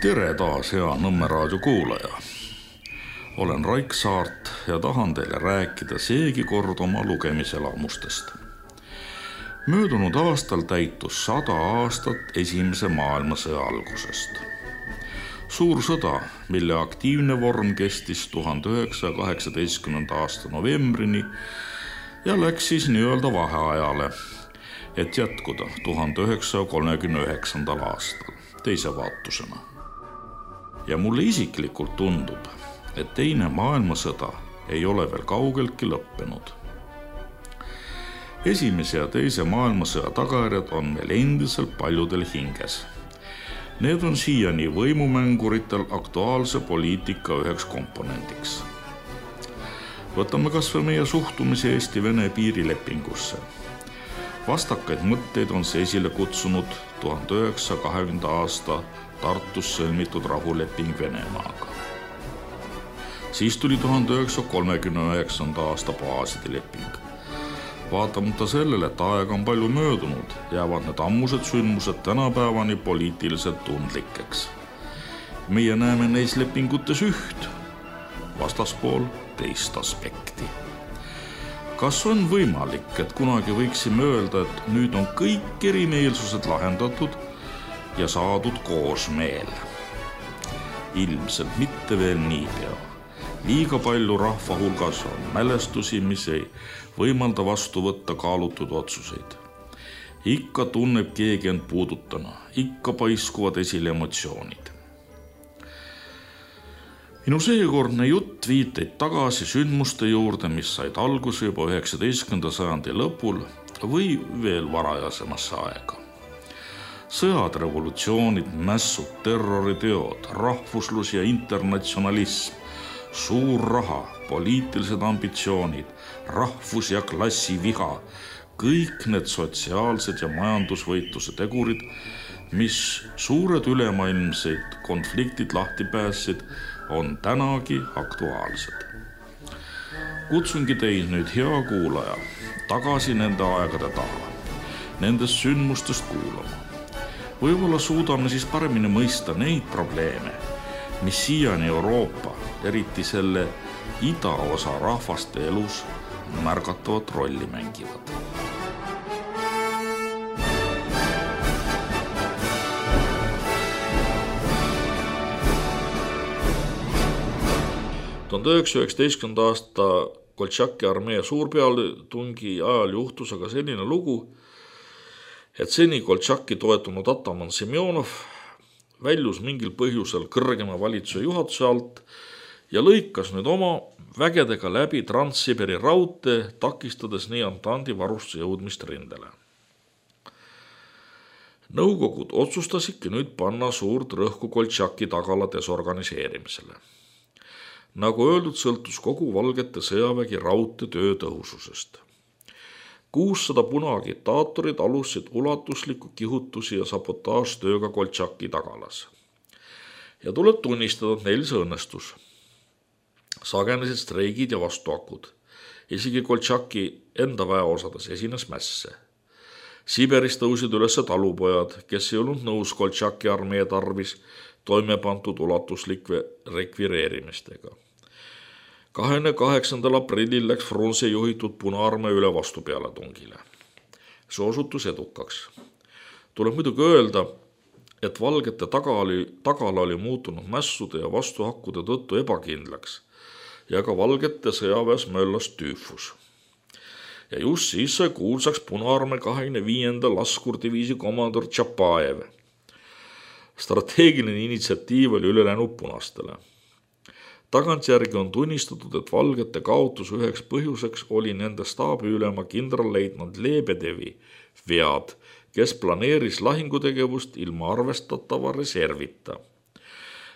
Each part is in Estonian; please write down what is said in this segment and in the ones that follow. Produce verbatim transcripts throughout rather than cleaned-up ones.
Tere taas, hea Nõmme raadio kuulaja. Olen Raik Saart ja tahan teile rääkida seegi kord oma lugemiselamustest. Möödunud aastal täitus sada aastat esimese maailmasõja algusest. Suur sõda, mille aktiivne vorm kestis tuhande üheksasaja kaheksateistkümnenda aasta novembrini ja läks siis nii-öelda vaheajale, et jätkuda tuhande üheksasaja kolmekümne üheksandal aastal teise vaatusena. Ja mulle isiklikult tundub, et teine maailmasõda ei ole veel kaugeltki lõppenud. Esimese ja teise maailmasõja tagajärjed on meil endiselt paljudel hinges. Need on siiani võimumänguritel aktuaalse poliitika üheks komponendiks. Võtame kas või meie suhtumise Eesti-Vene piirilepingusse. Vastakaid mõtteid on see esile kutsunud tuhande üheksasaja kahekümnenda aasta Tartus sõlmitud rahuleping Venemaaga. Siis tuli tuhande üheksasaja kolmekümne üheksanda aasta baaside leping. Vaatamata sellele, et aega on palju möödunud, jäävad need ammused sündmused tänapäevani poliitiliselt tundlikeks. Meie näeme neis lepingutes üht, vastaspool teist aspekti. Kas on võimalik, et kunagi võiksime öelda, et nüüd on kõik erimeelsused lahendatud ja saadud koosmeel? Ilmselt mitte veel niipea. Liiga palju rahva hulgas on mälestusi, mis ei võimalda vastu võtta kaalutud otsuseid. Ikka tunneb keegi end puudutana, ikka paiskuvad esile emotsioonid. Minu seekordne jutt viiteid tagasi sündmuste juurde, mis said alguse juba üheksateistkümnenda sajandi lõpul või veel varajasemasse aega. Sõjad, revolutsioonid, mässud, terroriteod, rahvuslus ja internatsionalism, suur raha, poliitilised ambitsioonid, rahvus- ja klassiviha, kõik need sotsiaalsed ja majandusvõitluse tegurid, mis suured ülemaailmseid konfliktid lahti päässid, on tänagi aktuaalsed. Kutsungi teid nüüd, hea kuulaja, tagasi nende aegade taha, nendest sündmustest kuulama. Võib-olla suudame siis paremini mõista neid probleeme, mis siiani Euroopa, eriti selle idaosa rahvaste elus märgatavat rolli mängivad. tuhande üheksasaja üheksateistkümnenda aasta Koltšaki armee suurpealetungi ajal juhtus aga selline lugu, et seni Koltšaki toetunud ataman Semjonov väljus mingil põhjusel kõrgema valitsuse juhatuse alt ja lõikas nüüd oma vägedega läbi Trans-Siberi raudtee, takistades nii Antandi varustuse jõudmist rindele. Nõukogud otsustasidki nüüd panna suurt rõhku Koltšaki tagala desorganiseerimisele. Nagu öeldud, sõltus kogu Valgete sõjavägi raudtee töö tõhususest. kuussada punaagitaatorid alustasid ulatuslikku kihutusi ja sabotaažtööga Koltšaki tagalas. Ja tuleb tunnistada, et neil see õnnestus. Sagenesid streigid ja vastuakud. Isegi Koltšaki enda väeosades esines mässe. Siberis tõusid üles talupojad, kes ei olnud nõus Koltšaki armee tarvis toime pandud ulatuslik rekvireerimistega. kahekümne kaheksandal aprillil läks Frunze juhitud Punaarmee üle vastupealetungile. See osutus edukaks. Tuleb muidugi öelda, et Valgete tagala, tagala oli muutunud mässude ja vastuhakkude tõttu ebakindlaks ja ka Valgete sõjaväes möllas tüüfus. Ja just siis sai kuulsaks Punaarmee kahekümne viienda laskurdiviisi komandor Tšapajev. Strateegiline initsiatiiv oli üle läinud punastele. Tagantjärgi on tunnistatud, et Valgete kaotus üheks põhjuseks oli nende staabiülema kindralleitnant Lebedevi vead, kes planeeris lahingutegevust ilma arvestatava reservita.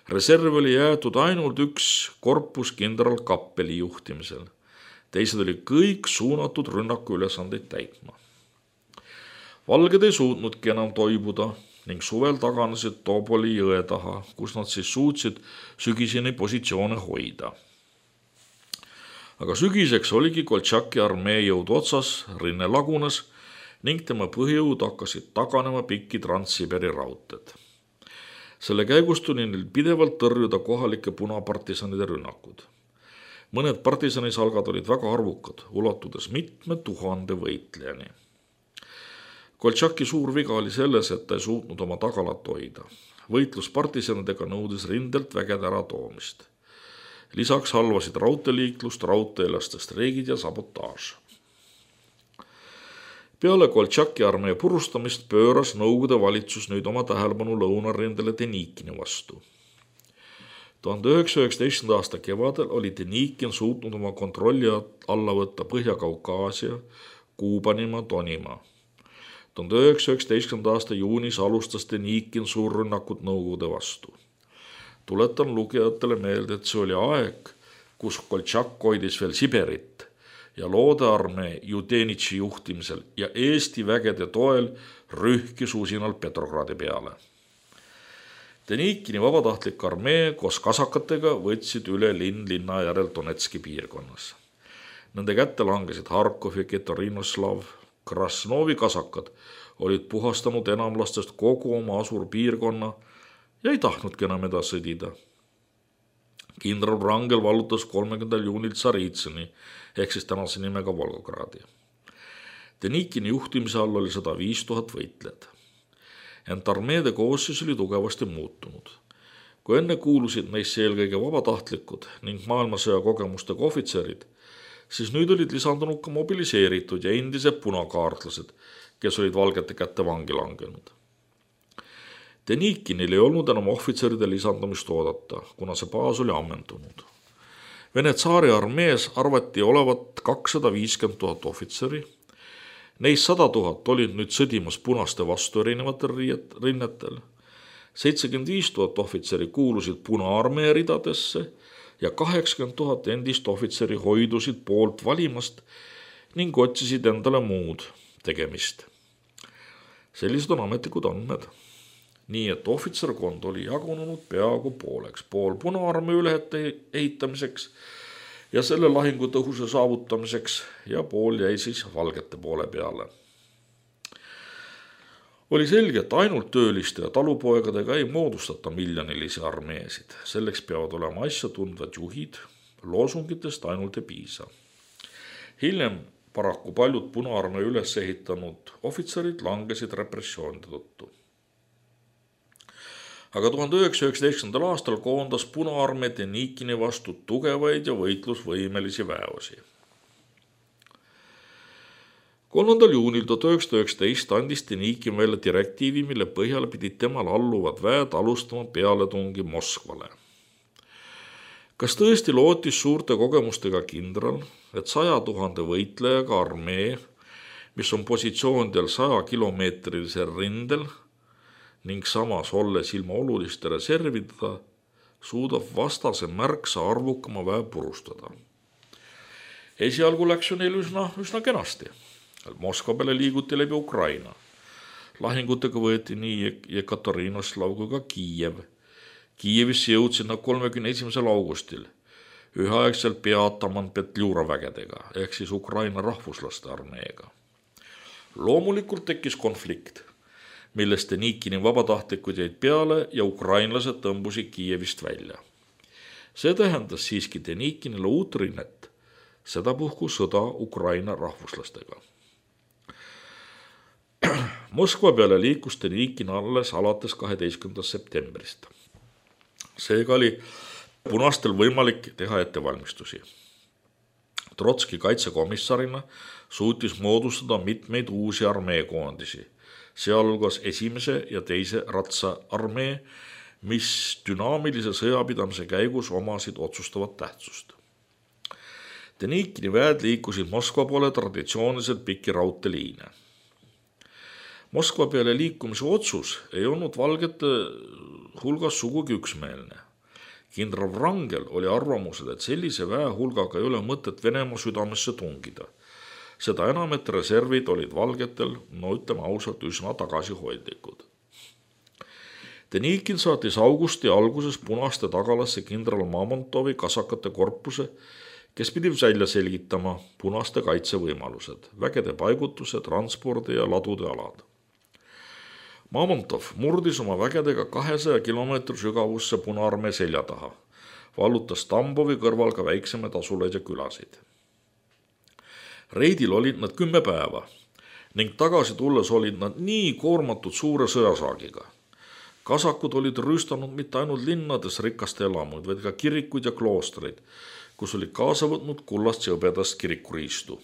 Reserv oli jäetud ainult üks korpus kindral Kappeli juhtimisel. Teised oli kõik suunatud rünnaku ülesandeid täitma. Valged ei suutnudki enam toibuda ning suvel taganesid Toboli jõe taha, kus nad siis suutsid sügiseni positsioone hoida. Aga sügiseks oligi Koltšaki armee jõud otsas, rinne lagunes ning tema põhjõud hakkasid taganema pikki Trans-Siberi raudteed. selle käigus tuli neil pidevalt tõrjuda kohalike punapartisanide rünnakud. Mõned partisanisalgad olid väga arvukad, ulatudes mitme tuhande võitlejani. Koltšaki suur viga oli selles, et ta ei suutnud oma tagalat hoida. Võitlus partisanidega nõudis rindelt vägede ära toomist. Lisaks halvasid raudteeliiklust raudteelastest reegid ja sabotaaž. Peale Koltšaki armee purustamist pööras Nõukogude valitsus nüüd oma tähelepanu lõunarindele Denikini vastu. tuhande üheksasaja üheksateistkümnenda aasta kevadel oli Denikin suutnud oma kontrolli alla võtta Põhja-Kaukaasia, Kuubanimaa, Tonimaa. tuhande üheksasaja üheksateistkümnenda aasta juunis alustas Denikin suurrünnakut Nõukogude vastu. Tuletan lugejatele meelde, et see oli aeg, kus Koltšak hoidis veel Siberit ja loodearmee Judenitši juhtimisel ja Eesti vägede toel rühkis usinalt Petrogradi peale. Denikini vabatahtlik armee koos kasakatega võtsid üle linn linna järel Donetski piirkonnas. Nende kätte langesid Harkov ja Ketorinoslav. Krasnovi kasakad olid puhastanud enamlastest kogu oma asurpiirkonna ja ei tahtnudki enam edasi sõdida. Kindral Wrangel vallutas kolmekümnendal juunil Tsaritsõni ehk siis tänase nimega Volgogradi. Denikini juhtimise all oli sada viis tuhat võitlejad. Ent armeede koosseis oli tugevasti muutunud. Kui enne kuulusid neisse eelkõige vabatahtlikud ning maailmasõja kogemustega ohvitserid, siis nüüd olid lisandunud ka mobiliseeritud ja endised punakaartlased, kes olid valgete kätte vangi langenud. Denikinil ei olnud enam ohvitseride lisandumist oodata, kuna see baas oli ammendunud. Vene tsaari armees arvati olevat kakssada viiskümmend tuhat ohvitseri. Neist sada tuhat olid nüüd sõdimas punaste vastu erinevatel rinnetel. seitsekümmend viis tuhat ohvitseri kuulusid Punaarmee ridadesse ja kaheksakümmend tuhat endist ohvitseri hoidusid poolt valimast ning otsisid endale muud tegemist. Sellised on ametlikud andmed. Nii et ohvitserkond oli jagunenud peaaegu pooleks, pool Punaarmee ülehete ehitamiseks ja selle lahingu tõhuse saavutamiseks ja pool jäi siis valgete poole peale. Oli selge, et ainult tööliste ja talupoegadega ei moodustata miljonilisi armeesid. Selleks peavad olema asja tundvad juhid, loosungitest ainult ei piisa. Hiljem paraku paljud Punaarmee üles ehitanud ohvitserid langesid repressioonide tõttu. Aga tuhande üheksasaja üheksateistkümnendal aastal koondas Punaarmee Denikini vastu tugevaid ja võitlusvõimelisi väeosi. kolmandal juunil tuhat üheksasada üheksateist andis Denikin välja direktiivi, mille põhjal pidid temal alluvad väed alustama pealetungi Moskvale. Kas tõesti lootis suurte kogemustega kindral, et saja tuhande võitlejaga armee, mis on positsioonidel saja kilomeetrilisel rindel ning samas olles ilma oluliste reservidega, suudab vastase märksa arvukama väe purustada? Esialgu läks ju neil üsna, üsna kenasti. Moskva peale liiguti läbi Ukraina. Lahingutega võeti nii Jekaterinoslav kui ka Kiiev. Kiievisse jõudsid nad kolmekümne esimesel augustil üheaegselt peataman Petljura vägedega ehk siis Ukraina rahvuslaste armeega. Loomulikult tekkis konflikt, millest Denikini vabatahtlikud jäid peale ja ukrainlased tõmbusid Kiievist välja. See tähendas siiski Denikinile uut rinnet, sedapuhku sõda Ukraina rahvuslastega. Moskva peale liikus Denikin alles alates kaheteistkümnendast septembrist. Seega oli punastel võimalik teha ettevalmistusi. Trotski kaitsekomissarina suutis moodustada mitmeid uusi armeekoondisi, sealhulgas esimese ja teise ratsa armee, mis dünaamilise sõjapidamise käigus omasid otsustavat tähtsust. Denikini väed liikusid Moskva poole traditsiooniliselt pikki raudteeliine. Moskva peale liikumise otsus ei olnud valgete hulgas sugugi üksmeelne. Kindral Wrangel oli arvamusel, et sellise väe hulgaga ei ole mõtet Venemaa südamesse tungida. Seda enam, et reservid olid valgetel, no ütleme ausalt, üsna tagasihoidlikud. Denikin saatis augusti alguses punaste tagalasse kindral Mamontovi kasakate korpuse, kes pidi välja selgitama punaste kaitsevõimalused, vägede paigutuse, transpordi ja ladude alad. Mamontov murdis oma vägedega kahesaja kilomeetri sügavusse Punaarmee selja taha, vallutas Tambovi kõrval ka väiksemaid asulaid ja külasid. Reidil olid nad kümme päeva ning tagasi tulles olid nad nii koormatud suure sõjasaagiga. Kasakud olid rüüstanud mitte ainult linnades rikaste elamuid, vaid ka kirikuid ja kloostreid, kus olid kaasa võtnud kullast ja hõbedast kirikuriistu.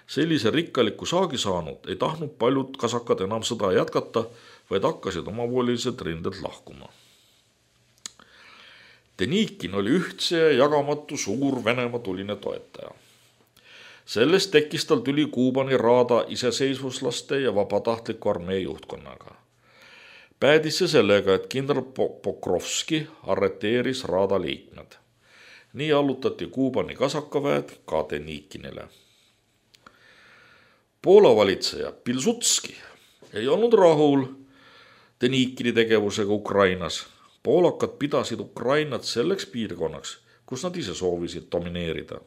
Sellise rikkaliku saagi saanud ei tahtnud paljud kasakad enam sõda jätkata, vaid hakkasid omavoliliselt rindelt lahkuma. Denikin oli ühtse ja jagamatu suur Venemaa tuline toetaja. Sellest tekkis tal tüli Kuubani raada iseseisvuslaste ja vabatahtliku armee juhtkonnaga. Päädis see sellega, et kindral Pokrovski arreteeris raada liikmed. Nii allutati Kuubani kasakaväed ka Denikinile. Poola valitseja Pilsudski ei olnud rahul Denikini tegevusega Ukrainas. Poolakad pidasid Ukrainat selleks piirkonnaks, kus nad ise soovisid domineerida.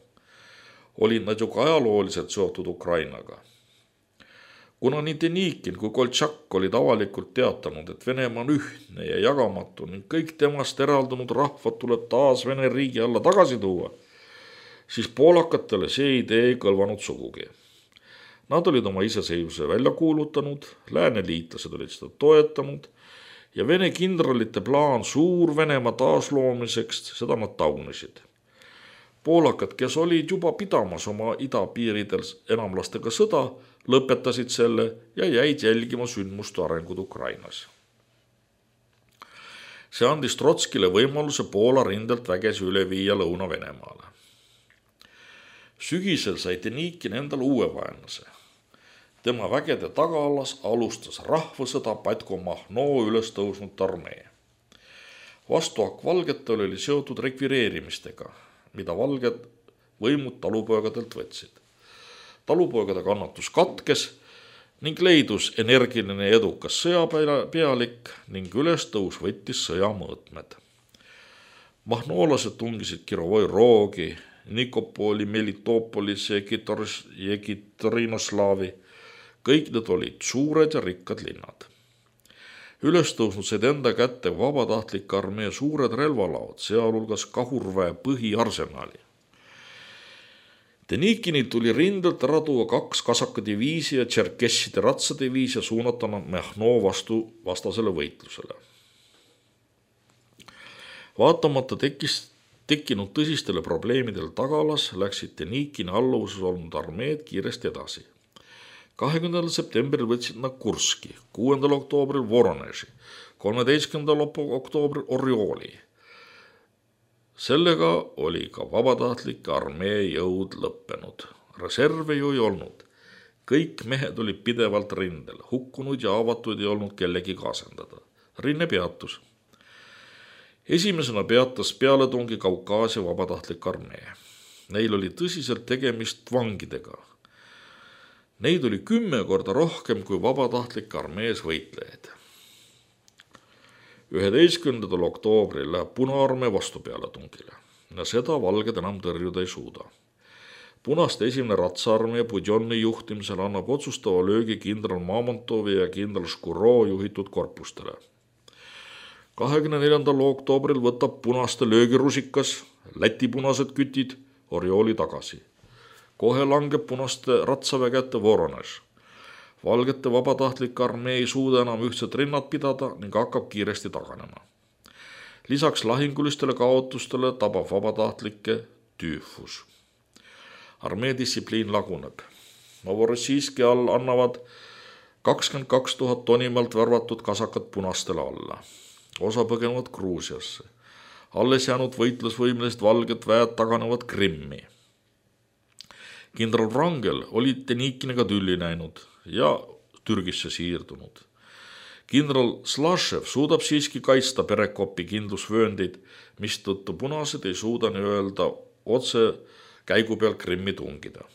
Olid nad ju ka ajalooliselt seotud Ukrainaga. Kuna nii Denikin kui Koltšak olid avalikult teatanud, et Venemaa on ühtne ja jagamatu ning kõik temast eraldunud rahvad tuleb taas Vene riigi alla tagasi tuua, siis poolakatele see idee ei kõlvanud sugugi. Nad olid oma iseseisvuse välja kuulutanud, lääneliitlased olid seda toetanud ja Vene kindralite plaan suur Venemaa taasloomiseks, seda nad taunisid. Poolakad, kes olid juba pidamas oma idapiiridel enamlastega sõda, lõpetasid selle ja jäid jälgima sündmuste arengud Ukrainas. See andis Trotskile võimaluse Poola rindelt vägesi üle viia Lõuna-Venemaale. Sügisel sai Denikin endal uue vaenlase. Tema vägede tagaalas alustas rahvasõda Batko Mahno üles tõusnud armee. Vastuhakk valgetel oli seotud rekvireerimistega, mida valged võimud talupoegadelt võtsid. Talupoegade kannatus katkes ning leidus energiline edukas sõjapealik ning ülestõus võttis sõja mõõtmed. Mahnoolased tungisid Kirovoi Roogi, Nikopoli, Melitopolis ja Jekitorinoslaavi. Kõik need olid suured ja rikkad linnad. Ülestõusnud said enda kätte vabatahtlik armee suured relvalaod, sealhulgas kahurväe põhiarsenali. Denikinil tuli rindelt ära tuua kaks kasakadiviisi ja tšerkesside ratsadiviisi ja suunata Mahno vastu vastasele võitlusele. Vaatamata tekkis, tekkinud tõsistele probleemidel tagalas läksid Denikini alluvuses olnud armeed kiiresti edasi. kahekümnendal septembril võtsid nad Kurski, kuuendal oktoobril Voroneži, kolmeteistkümnendal oktoobril Orjoli. Sellega oli ka vabatahtlike armee jõud lõppenud. Reserve ju ei olnud. Kõik mehed olid pidevalt rindel, hukkunud ja avatud ei olnud kellegi kaasendada. Rinne peatus. Esimesena peatas pealetungi Kaukaasia vabatahtlik armee. Neil oli tõsiselt tegemist vangidega. Neid oli kümme korda rohkem kui vabatahtlik armees võitlejaid. üheteistkümnendal oktoobril läheb Punaarmee vastu pealetungile ja seda valged enam tõrjuda ei suuda. Punaste esimene ratsaarmee Budjonni juhtimisel annab otsustava löögi kindral Mamontovi ja kindral Škuro juhitud korpustele. kahekümne neljandal oktoobril võtab punaste löögirusikas, Läti punased kütid Orjoli tagasi. Kohe langeb punaste ratsaväe kätte Voronež. Valgete vabatahtlik armee ei suuda enam ühtset rinnad pidada ning hakkab kiiresti taganema. Lisaks lahingulistele kaotustele tabab vabatahtlikke tüüfus. Armee distsipliin laguneb. Novorossijski all annavad kakskümmend kaks tuhat tonimalt värvatud kasakad punastele alla. Osa põgenevad Gruusiasse. Alles jäänud võitlusvõimlist valged väed taganevad Krimmi. Kindral Wrangel oli Denikiniga tülli näinud ja Türgisse siirdunud. Kindral Slashev suudab siiski kaitsta Perekopi kindlusvööndid, mistõttu punased ei suuda nii öelda otse käigu peal Krimmi tungida.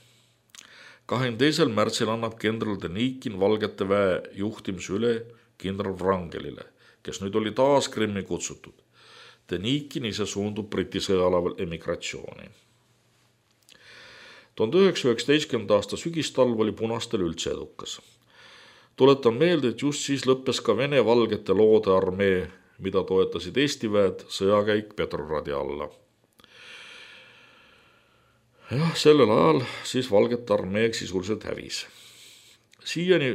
kahekümne teisel märtsil annab kindral Denikin valgete väe juhtimise üle kindral Wrangelile, kes nüüd oli taas Krimmi kutsutud. Denikin ise suundub Briti sõjalaval emigratsiooni. tuhande üheksasaja üheksateistkümnenda aasta sügistalv oli punastel üldse edukas. Tuletan meelde, et just siis lõppes ka Vene valgete loode armee, mida toetasid Eesti väed sõjakäik Petrogradi alla. Jah, sellel ajal siis valgete armee sisuliselt hävis. Siiani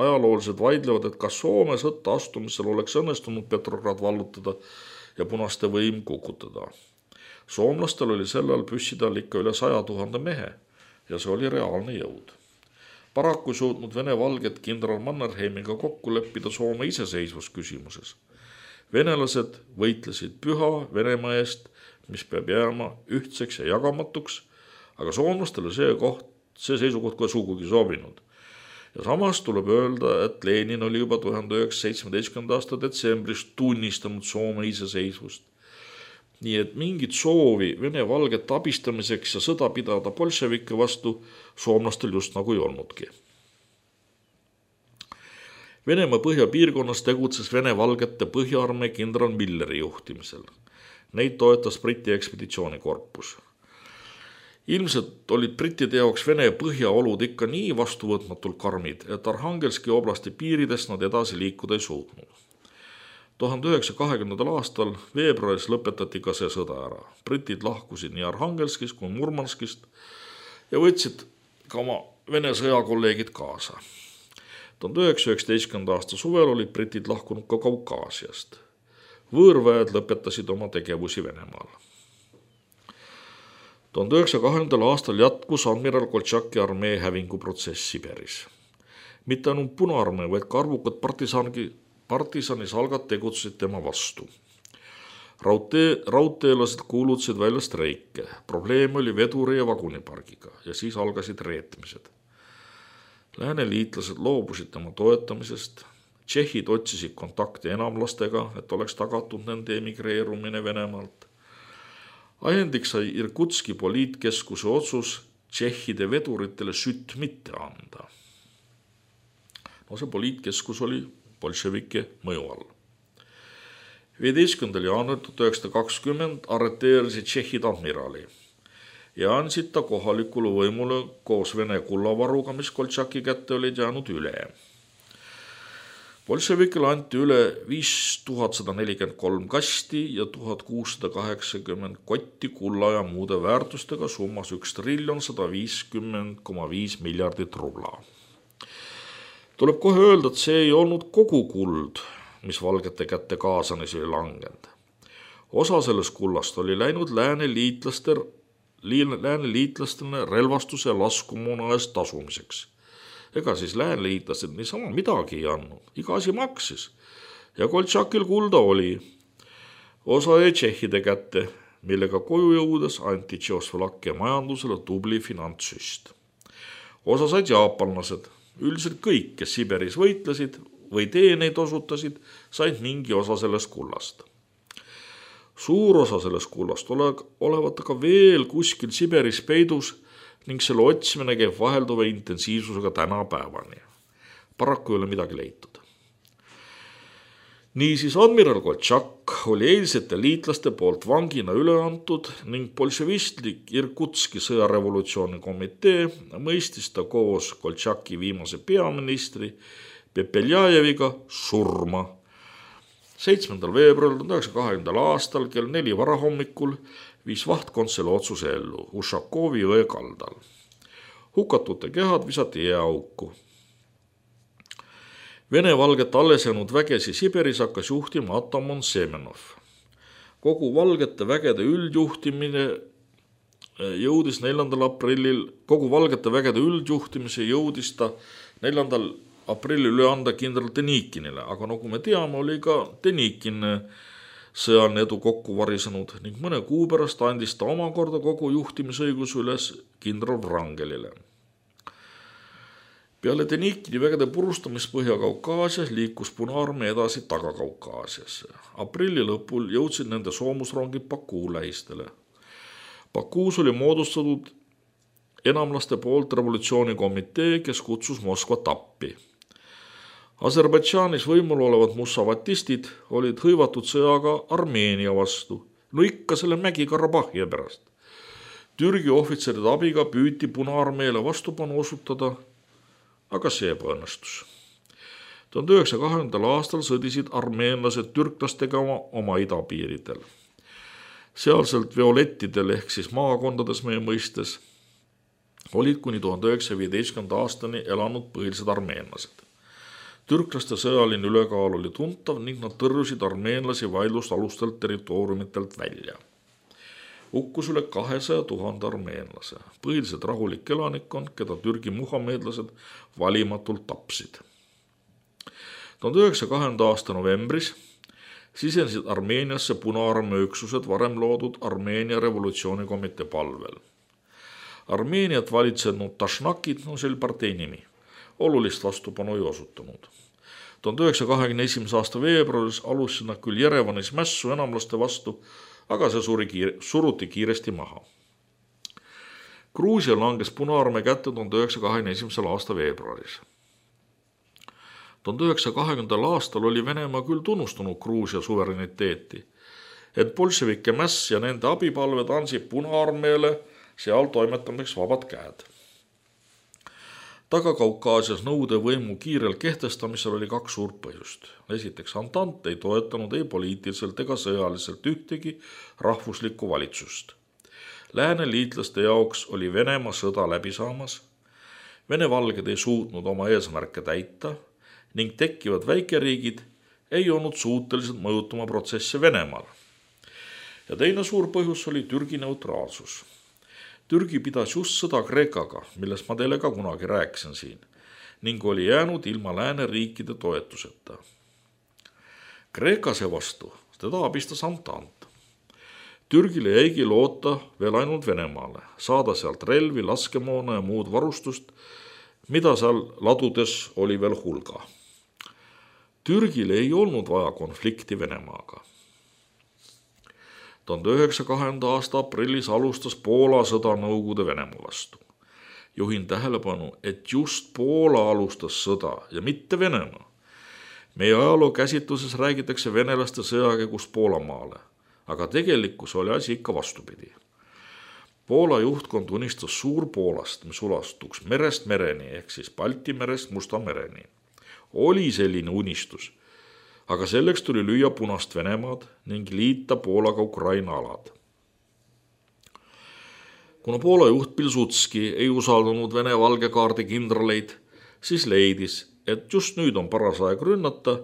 ajaloolised vaidlevad, et kas Soome sõtta astumisel oleks õnnestunud Petrograd vallutada ja punaste võim kukutada. Soomlastel oli sellel püssidel ikka üle saja tuhande mehe ja see oli reaalne jõud. Paraku suutnud Vene valged kindral Mannerheimiga kokku leppida Soome iseseisvusküsimuses. Venelased võitlesid püha Venemaa eest, mis peab jääma ühtseks ja jagamatuks, aga soomlastele see koht, see seisukoht ka sugugi sobinud. Ja samas tuleb öelda, et Lenin oli juba tuhande üheksasaja seitsmeteistkümnenda aasta detsembris tunnistanud Soome iseseisvust. Nii et mingit soovi Vene valget abistamiseks ja sõda pidada bolševike vastu soomlastel just nagu ei olnudki. Venemaa põhjapiirkonnas tegutses Vene valgete põhjaarmee kindral Milleri juhtimisel. Neid toetas Briti ekspeditsioonikorpus. Ilmselt olid brittide jaoks Vene põhjaolud ikka nii vastuvõtmatult karmid, et Arhangelski oblasti piiridest nad edasi liikuda ei suutnud. tuhande üheksasaja kahekümnendal aastal veebruaris lõpetati ka see sõda ära. Britid lahkusid nii Arhangelskist kui Murmanskist ja võtsid ka oma Vene sõjakolleegid kaasa. tuhande üheksasaja üheksateistkümnenda aasta suvel olid britid lahkunud ka Kaukaasiast. Võõrväed lõpetasid oma tegevusi Venemaal. tuhande üheksasaja kahekümnendal aastal jätkus admiral Koltšaki armee hävinguprotsess Siberis. Mitte ainult Punaarmee, vaid ka arvukad partisangi Partisanisaalgad tegutsesid tema vastu. Raudtee, raudteelased kuulutasid välja streike. Probleem oli veduri ja vagunipargiga ja siis algasid reetmised. Lääne liitlased loobusid tema toetamisest. Tšehhid otsisid kontakti enamlastega, et oleks tagatud nende emigreerumine Venemaalt. Ajendiks sai Irkutski poliitkeskuse otsus tšehhide veduritele sütt mitte anda. No see poliitkeskus oli bolševike mõju all. viieteistkümnendal jaanuaril tuhat üheksasada kakskümmend arreteerisid tšehhid admirali ja andsid ta kohalikule võimule koos Vene kullavaruga, mis Koltšaki kätte olid jäänud üle. Bolševikele anti üle viis tuhat sada nelikümmend kolm kasti ja tuhat kuussada kaheksakümmend kotti kulla ja muude väärtustega summas üks triljon sada viiskümmend koma viis miljardit rubla. Tuleb kohe öelda, et see ei olnud kogu kuld, mis valgete kätte Kaasanis oli langenud. Osa sellest kullast oli läinud lääne liitlaste, lääne liitlastele relvastuse ja laskumuna eest tasumiseks. Ega siis lääne liitlased niisama midagi ei andnud, iga asi maksis. Ja Koltšakil kulda oli. Osa jäi tšehhide kätte, millega koju jõudes anti Tšehhoslovakkia majandusele tubli finantssüst. Osa said jaapanlased. Üldiselt kõik, kes Siberis võitlesid või teeneid osutasid, said mingi osa sellest kullast. Suur osa sellest kullast olevat aga veel kuskil Siberis peidus ning selle otsimine käib vahelduva intensiivsusega tänapäevani. Paraku ei ole midagi leitud. Niisiis admiral Koltšak oli eilsete liitlaste poolt vangina üle antud ning bolševistlik Irkutski sõjarevolutsiooni komitee mõistis ta koos Koltšaki viimase peaministri Pepeljajeviga surma. seitsmendal veebruaril tuhande üheksasaja kahekümnendal aastal kell neli varahommikul viis vahtkond selle otsuse ellu Ušakovi jõe kaldal. Hukatute kehad visati jääauku. Vene valget alles jäänud vägesi Siberis hakkas juhtima Atamon Semenov. Kogu valgete vägede üldjuhtimine jõudis neljandal aprillil, kogu valgete vägede üldjuhtimise jõudis ta neljandal aprillil üle anda kindral Denikinile, aga nagu me teame, oli ka Denikin sõjaline edu kokku varisenud ning mõne kuu pärast andis ta omakorda kogu juhtimisõigus üles kindral Wrangelile. Peale Denikini vägede purustamist Põhja-Kaukaasias liikus Punaarmee edasi Taga-Kaukaasiasse. Aprilli lõpul jõudsid nende soomusrongid Bakuu lähistele. Bakuus oli moodustatud enamlaste poolt revolutsioonikomitee, kes kutsus Moskvat appi. Aserbaidžaanis võimul olevad mussavatistid olid hõivatud sõjaga Armeenia vastu, no ikka selle Mägi-Karabahhi pärast. Türgi ohvitseride abiga püüti Punaarmeele vastupanu osutada, aga see ebaõnnestus. tuhande üheksasaja kahekümnendal aastal sõdisid armeenlased türklastega oma, oma idapiiridel. Sealselt violettidel ehk siis maakondades meie mõistes olid kuni tuhande üheksasaja viieteistkümnenda aastani elanud põhilised armeenlased. Türklaste sõjaline ülekaal oli tuntav ning nad tõrjusid armeenlasi vaidlusalustelt territooriumitelt välja. Hukkus üle kahesaja tuhande armeenlase, põhiliselt rahulik elanikkond, keda Türgi muhameedlased valimatult tapsid. tuhande üheksasaja kahekümnenda aasta novembris sisenesid Armeeniasse Punaarmee üksused varem loodud Armeenia revolutsioonikomitee palvel. Armeeniat valitsenud Tašnakid, no see oli partei nimi, olulist vastupanu ei osutanud. tuhande üheksasaja kahekümne esimese aasta veebruaris alustasid nad küll Jerevanis mässu enamlaste vastu, aga see suri kiire, suruti kiiresti maha. Gruusia langes Punaarmee kätte tuhande üheksasaja kahekümne esimesel aasta veebruaris. tuhande üheksasaja kahekümnendal aastal oli Venemaa küll tunnustanud Gruusia suvereniteeti, et bolševike mäss ja nende abipalved andsid Punaarmeele seal toimetamiseks vabad käed. Taga-Kaukaasias nõude võimu kiirel kehtestamisel oli kaks suurt põhjust. Esiteks, Antant ei toetanud ei poliitiliselt ega sõjaliselt ühtegi rahvuslikku valitsust. Lääne liitlaste jaoks oli Venemaa sõda läbi saamas, Vene valged ei suutnud oma eesmärke täita ning tekkivad väikeriigid ei olnud suutelised mõjutama protsesse Venemaal. Ja teine suur põhjus oli Türgi neutraalsus. Türgi pidas just sõda Kreekaga, millest ma teile ka kunagi rääkisin siin, ning oli jäänud ilma lääneriikide toetuseta. Kreeka seevastu, teda abistas Antant. Türgile jäigi loota veel ainult Venemaale, saada sealt relvi, laskemoona ja muud varustust, mida seal ladudes oli veel hulga. Türgile ei olnud vaja konflikti Venemaaga. tuhande üheksasaja kahekümnenda aasta aprillis alustas Poola sõda Nõukogude Venemaa vastu. Juhin tähelepanu, et just Poola alustas sõda ja mitte Venemaa. Meie ajaloo käsitluses räägitakse venelaste sõjakäigust Poolamaale, aga tegelikkus oli asi ikka vastupidi. Poola juhtkond unistas Suur-Poolast, mis ulastuks merest mereni ehk siis Balti merest Musta mereni. Oli selline unistus, aga selleks tuli lüüa Punast Venemaad ning liita Poolaga Ukraina alad. Kuna Poola juht Pilsudski ei usaldanud Vene valgekaardi kindraleid, siis leidis, et just nüüd on paras aeg rünnata,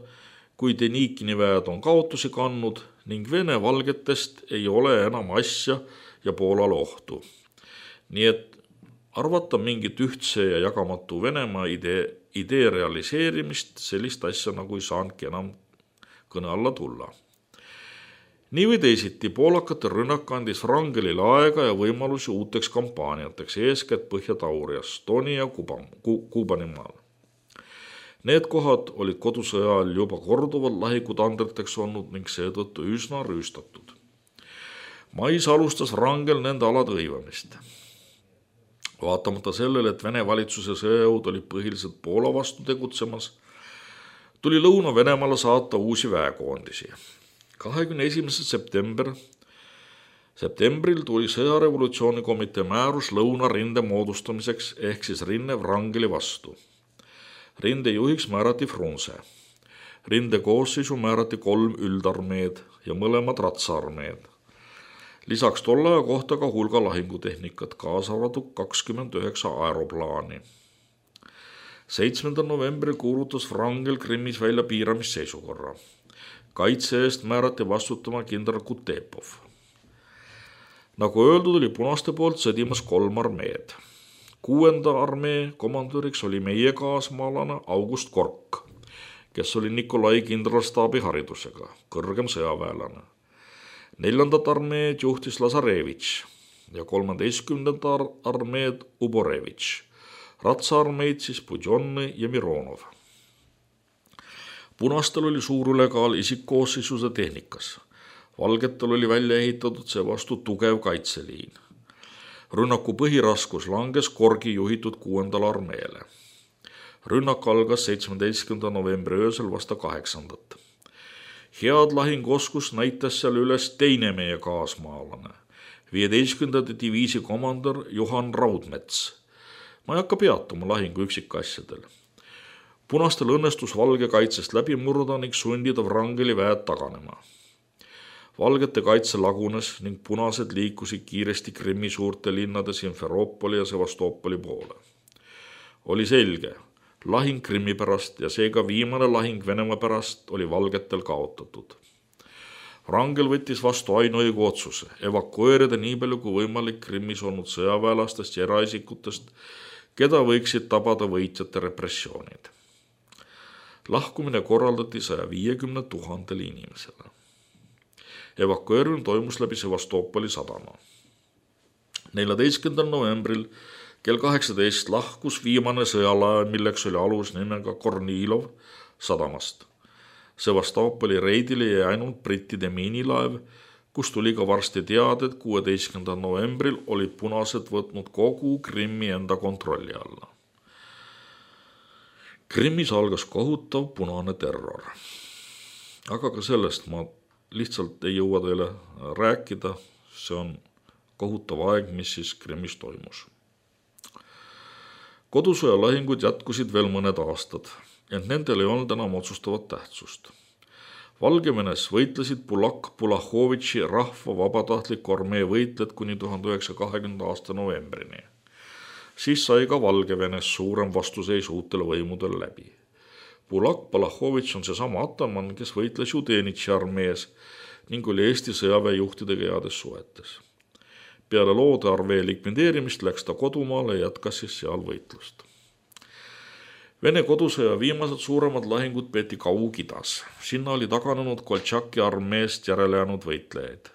kui Denikini väed on kaotusi kandnud ning Vene valgetest ei ole enam asja ja Poolale ohtu. Nii et arvata mingit ühtse ja jagamatu Venemaa idee, idee realiseerimist, sellist asja nagu ei saanudki enam kõne alla tulla. Nii või teisiti poolakate rünnak andis Wrangelile aega ja võimalusi uuteks kampaaniateks, eeskätt Põhja-Taurias, Stoni ja Kuubanimaal. Need kohad olid kodusõja ajal juba korduvalt lahikutandriteks olnud ning seetõttu üsna rüüstatud. Mais alustas Wrangel nende alade hõivamist. Vaatamata sellele, et Vene valitsuse sõjajõud oli põhiliselt Poola vastu tegutsemas, tuli Lõuna-Venemaale saata uusi väekoondisi. kahekümne esimesel september, septembril tuli sõjarevolutsioonikomitee määrus Lõunarinde moodustamiseks ehk siis rinne Wrangeli vastu. Rinde juhiks määrati Frunze. Rinde koosseisu määrati kolm üldarmeed ja mõlemad ratsaarmeed. Lisaks tolle aja kohta ka hulga lahingutehnikat, kaasa arvatud kakskümmend üheksa aeroplaani. seitsmendal novembril kuulutas Wrangel Krimmis välja piiramisseisukorra. Kaitse eest määrati vastutama kindral Kutepov. Nagu öeldud, oli punaste poolt sõdimas kolm armeed. Kuuenda armee komandöriks oli meie kaasmaalane August Kork, kes oli Nikolai kindralstaabi haridusega, kõrgem sõjaväelane. Neljandat armeed juhtis Lazarevitš ja kolmeteistkümnenda armeed Uborevitš. Ratsaarmeid siis Budjonni ja Mironov. Punastel oli suur ülekaal isikkoosseisuse tehnikas. Valgetel oli välja ehitatud seevastu tugev kaitseliin. Rünnaku põhiraskus langes Korgi juhitud kuuendal armeele. Rünnak algas seitsmeteistkümnenda novembri öösel vasta kaheksandat. Head lahinguoskus näitas seal üles teine meie kaasmaalane, viieteistkümnenda diviisi komandör Juhan Raudmets. Ma ei hakka peatuma lahingu üksikasjadel. Punastel õnnestus valge kaitsest läbi murda ning sundida Wrangeli väed taganema. Valgete kaitse lagunes ning punased liikusid kiiresti Krimmi suurte linnade Simferopoli ja Sevastopoli poole. Oli selge, lahing Krimmi pärast ja seega viimane lahing Venemaa pärast oli valgetel kaotatud. Wrangel võttis vastu ainuõigu otsuse evakueerida nii palju kui võimalik Krimmis olnud sõjaväelastest ja eraisikutest, keda võiksid tabada võitjate repressioonid. Lahkumine korraldati saja viiekümne tuhandele inimesele. Evakueerimine toimus läbi Sevastopoli sadama. neljateistkümnendal novembril kell kaheksateist lahkus viimane sõjalaev, milleks oli alus nimega Kornilov sadamast. Sevastopoli reidile jäi ainult brittide miinilaev, kus tuli ka varsti teada, et kuueteistkümnendal novembril olid punased võtnud kogu Krimmi enda kontrolli alla. Krimmis algas kohutav punane terror. Aga ka sellest ma lihtsalt ei jõua teile rääkida, see on kohutav aeg, mis siis Krimmis toimus. Kodusõja lahingud jätkusid veel mõned aastad, ent nendel ei olnud enam otsustavat tähtsust. Valgevenes võitlesid Bulak Bulahovitši rahva vabatahtliku armee võitled kuni tuhande üheksasaja kahekümnenda aasta novembrini. Siis sai ka Valgevenes suurem vastuseis uutele võimudele läbi. Bulak Bulahovitš on seesama ataman, kes võitles Judenitši armees ning oli Eesti sõjaväejuhtidega heades suhetes. Peale loode armee likvideerimist läks ta kodumaale ja jätkas siis seal võitlust. Vene kodusõja viimased suuremad lahingud peeti Kaug-Idas. Sinna oli taganenud Koltšaki armeest järele jäänud võitlejaid.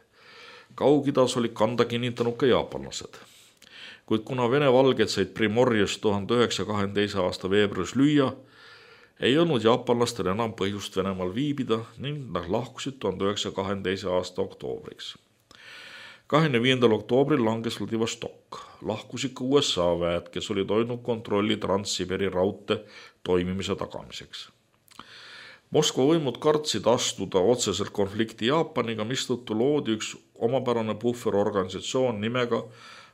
Kaug-Idas oli kanda kinnitanud ka jaapanlased. Kuid kuna Vene valged said Primorjes tuhande üheksasaja kahekümne teise aasta veebruaris lüüa, ei olnud jaapanlastel enam põhjust Venemaal viibida ning nad lahkusid tuhande üheksasaja kahekümne teise aasta oktoobriks. kahekümne viiendal oktoobril langes Vladivostok. Lahkusid ka U S A väed, kes olid hoidnud kontrolli Trans-Siberi raudte toimimise tagamiseks. Moskva võimud kartsid astuda otseselt konflikti Jaapaniga, mistõttu loodi üks omapärane puhverorganisatsioon nimega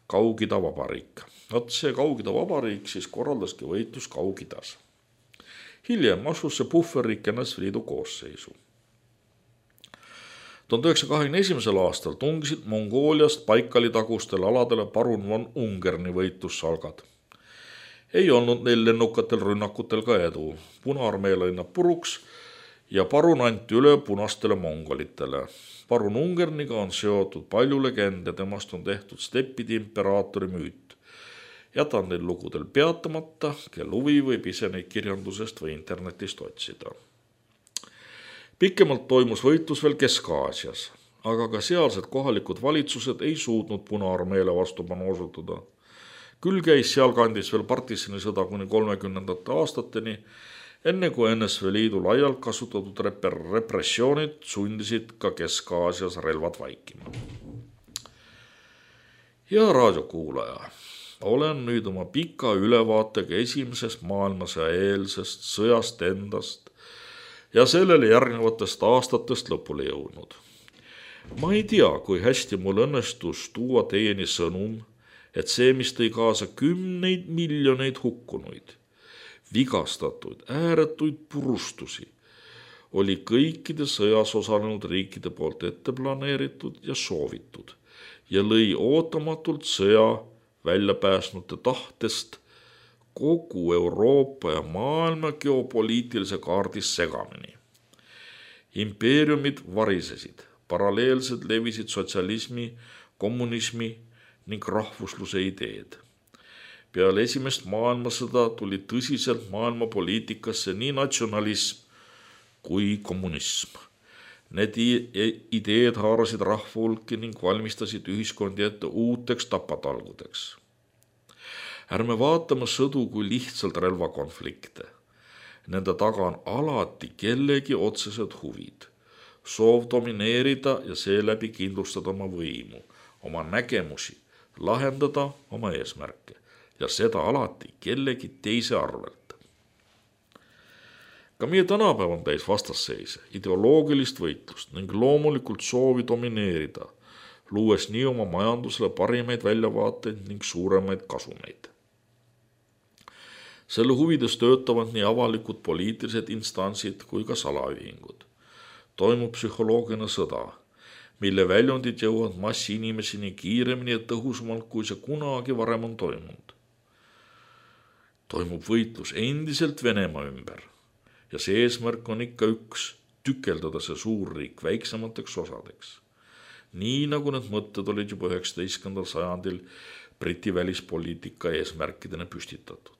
Kaug-Ida vabariik. Vot see Kaug-Ida vabariik siis korraldaski võitlus Kaug-Idas. Hiljem asus see puhverriik N S V Liidu koosseisu. tuhande üheksasaja kahekümne esimesel aastal tungisid Mongooliast Baikali tagustele aladele parun von Ungerni võitlussalgad. Ei olnud neil lennukatel rünnakutel ka edu. Punaarmee lõi nad puruks ja parun anti üle punastele mongolitele. Parun Ungerniga on seotud palju legende, temast on tehtud steppide imperaatori müüt. Jätan neil lugudel peatamata, kel huvi võib ise neid kirjandusest või internetist otsida. Pikemalt toimus võitlus veel Kesk-Aasias, aga ka sealsed kohalikud valitsused ei suutnud Punaarmeele vastupanu osutuda. Küll käis sealkandis veel partisanisõda kuni kolmekümnendate aastateni, enne kui N S V Liidu laialt kasutatud repressioonid sundisid ka Kesk-Aasias relvad vaikima. Hea raadiokuulaja, olen nüüd oma pika ülevaatega esimesest maailmasõja eelsest sõjast endast ja sellele järgnevatest aastatest lõpule jõudnud. Ma ei tea, kui hästi mul õnnestus tuua teieni sõnum, et see, mis tõi kaasa kümneid miljoneid hukkunuid, vigastatuid, ääretuid purustusi, oli kõikide sõjas osalenud riikide poolt ette planeeritud ja soovitud ja lõi ootamatult sõja väljapääsnute tahtest kogu Euroopa ja maailma geopoliitilise kaardis segamini. Impeeriumid varisesid, paralleelselt levisid sotsialismi, kommunismi ning rahvusluse ideed. Peale esimest maailmasõda tuli tõsiselt maailmapoliitikasse nii natsionalism kui kommunism. Need ideed haarasid rahvahulki ning valmistasid ühiskondi ette uuteks tapatalgudeks. Ärme vaatame sõdu kui lihtsalt relvakonflikte. Nende taga on alati kellegi otsesed huvid. Soov domineerida ja seeläbi kindlustada oma võimu, oma nägemusi, lahendada oma eesmärke ja seda alati kellegi teise arvelt. Ka meie tänapäev on täis vastasseise, ideoloogilist võitlust ning loomulikult soovi domineerida, luues nii oma majandusele parimaid väljavaateid ning suuremaid kasumeid. Selle huvides töötavad nii avalikud poliitilised instantsid kui ka salaühingud. Toimub psühholoogiline sõda, mille väljundid jõuavad massi inimeseni kiiremini ja tõhusamalt, kui see kunagi varem on toimunud. Toimub võitlus endiselt Venemaa ümber ja see eesmärk on ikka üks, tükeldada see suurriik väiksemateks osadeks. Nii nagu need mõtted olid juba üheksateistkümnendal sajandil Briti välispoliitika eesmärkidena püstitatud.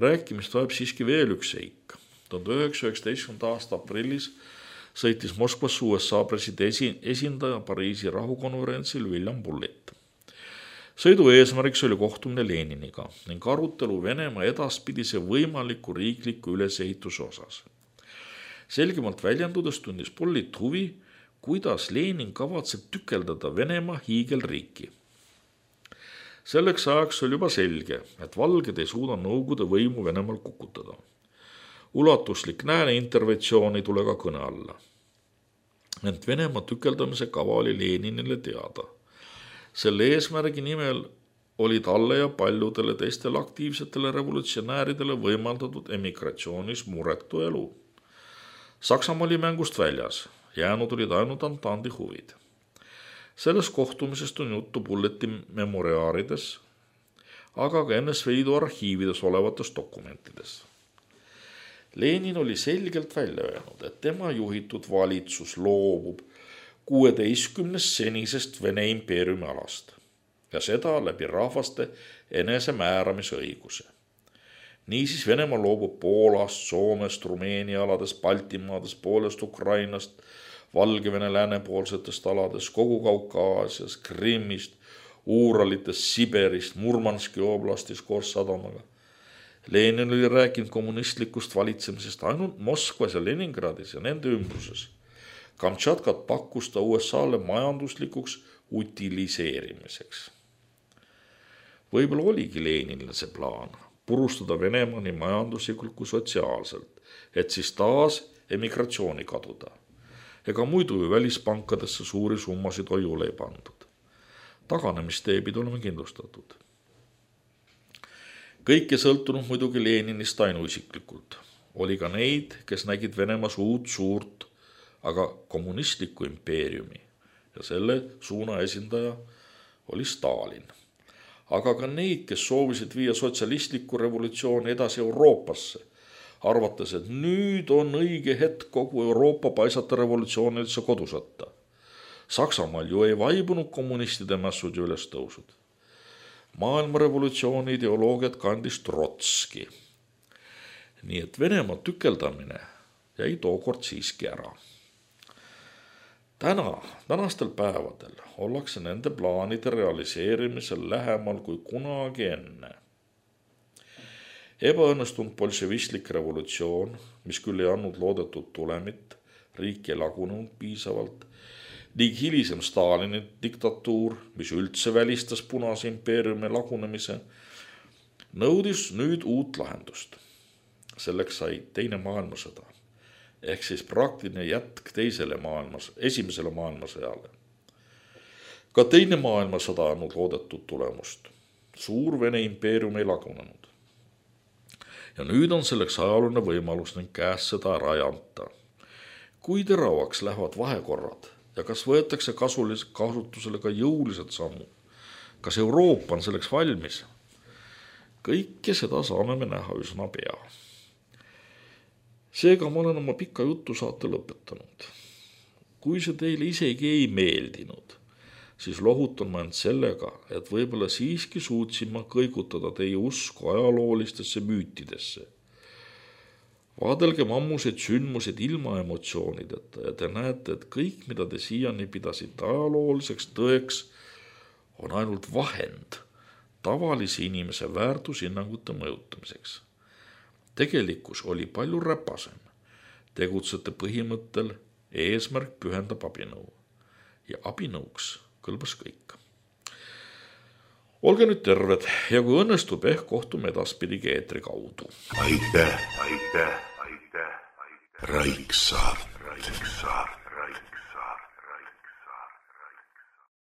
Rääkimist vajab siiski veel üks seik. tuhande üheksasaja üheksateistkümnenda aasta aprillis sõitis Moskvasse U S A presidendi esindaja Pariisi rahukonverentsil William Bullitt. Sõidu eesmärgiks oli kohtumine Leniniga ning arutelu Venemaa edaspidise võimaliku riikliku ülesehituse osas. Selgemalt väljendudes tundis Bullitt huvi, kuidas Lenin kavatseb tükeldada Venemaa hiigelriiki. Selleks ajaks oli juba selge, et valged ei suuda Nõukogude võimu Venemaal kukutada. Ulatuslik Lääne interventsioon ei tule ka kõne alla. Ent Venemaa tükeldamise kava oli Leninile teada. Selle eesmärgi nimel oli talle ja paljudele teistele aktiivsetele revolutsionääridele võimaldatud emigratsioonis muretu elu. Saksamaa oli mängust väljas, jäänud olid ainult Antandi huvid. Selles kohtumisest on juttu Bulleti memoriaarides, aga ka N S V Liidu arhiivides olevates dokumentides. Lenin oli selgelt välja öelnud, et tema juhitud valitsus loobub kuueteistkümnest senisest Vene impeeriumi alast ja seda läbi rahvaste enesemääramise õiguse. Niisiis Venemaa loobub Poolast, Soomest, Rumeenia aladest, Baltimaadest, poolest Ukrainast, Valgevene läänepoolsetest aladest, kogu Kaukaasias, Krimmist, Uuralitest, Siberist, Murmanski oblastis koos sadamaga. Lenin oli rääkinud kommunistlikust valitsemisest ainult Moskvas ja Leningradis ja nende ümbruses. Kamtšatkat pakkus ta U S A-le majanduslikuks utiliseerimiseks. Võib-olla oligi Leninile see plaan purustada Venemaa nii majanduslikult kui sotsiaalselt, et siis taas emigratsiooni kaduda. Ega muidu ju välispankadesse suuri summasid hoiule ei pandud. Taganemistee pidi olema kindlustatud. Kõik ei sõltunud muidugi Leninist ainuisiklikult. Oli ka neid, kes nägid Venemaas uut suurt, aga kommunistlikku impeeriumi ja selle suuna esindaja oli Stalin. Aga ka neid, kes soovisid viia sotsialistlikku revolutsiooni edasi Euroopasse, arvates, et nüüd on õige hetk kogu Euroopa paisata revolutsioonilisse kodusõtta. Saksamaal ju ei vaibunud kommunistide mässud ja ülestõusud. Maailmarevolutsiooni ideoloogiat kandis Trotski. Nii et Venemaa tükeldamine jäi tookord siiski ära. Täna, tänastel päevadel ollakse nende plaanide realiseerimisel lähemal kui kunagi enne. Ebaõnnestunud bolševistlik revolutsioon, mis küll ei andnud loodetud tulemit, riik ei lagunenud piisavalt, ning hilisem Stalini diktatuur, mis üldse välistas Punase impeeriumi lagunemise, nõudis nüüd uut lahendust. Selleks sai teine maailmasõda, ehk siis praktiline jätk teisele maailmas, esimesele maailmasõjale. Ka teine maailmasõda andnud loodetud tulemust. Suur Vene impeerium ei lagunenud. Ja nüüd on selleks ajaluline võimalus ning käes seda ära ei anta. Kui teravaks lähevad vahekorrad ja kas võetakse kasutusele ka jõulised sammud? Kas Euroopa on selleks valmis? Kõike seda saame me näha üsna pea. Seega ma olen oma pika jutu saate lõpetanud. Kui see teile isegi ei meeldinud, siis lohutan ma end sellega, et võib-olla siiski suutsin ma kõigutada teie usku ajaloolistesse müütidesse. Vaadelgem ammuseid sündmused ilma emotsioonideta ja te näete, et kõik, mida te siiani pidasite ajalooliseks tõeks, on ainult vahend tavalise inimese väärtushinnangute mõjutamiseks. Tegelikkus oli palju räpasem. Tegutsete põhimõttel eesmärk pühendab abinõu ja abinõuks kõlbas kõik. Olge nüüd terved ja kui õnnestub, ehk kohtume edaspidigi eetri kaudu. Aitäh, aitäh, aitäh, aitäh. Raiksaart. Raiksaart.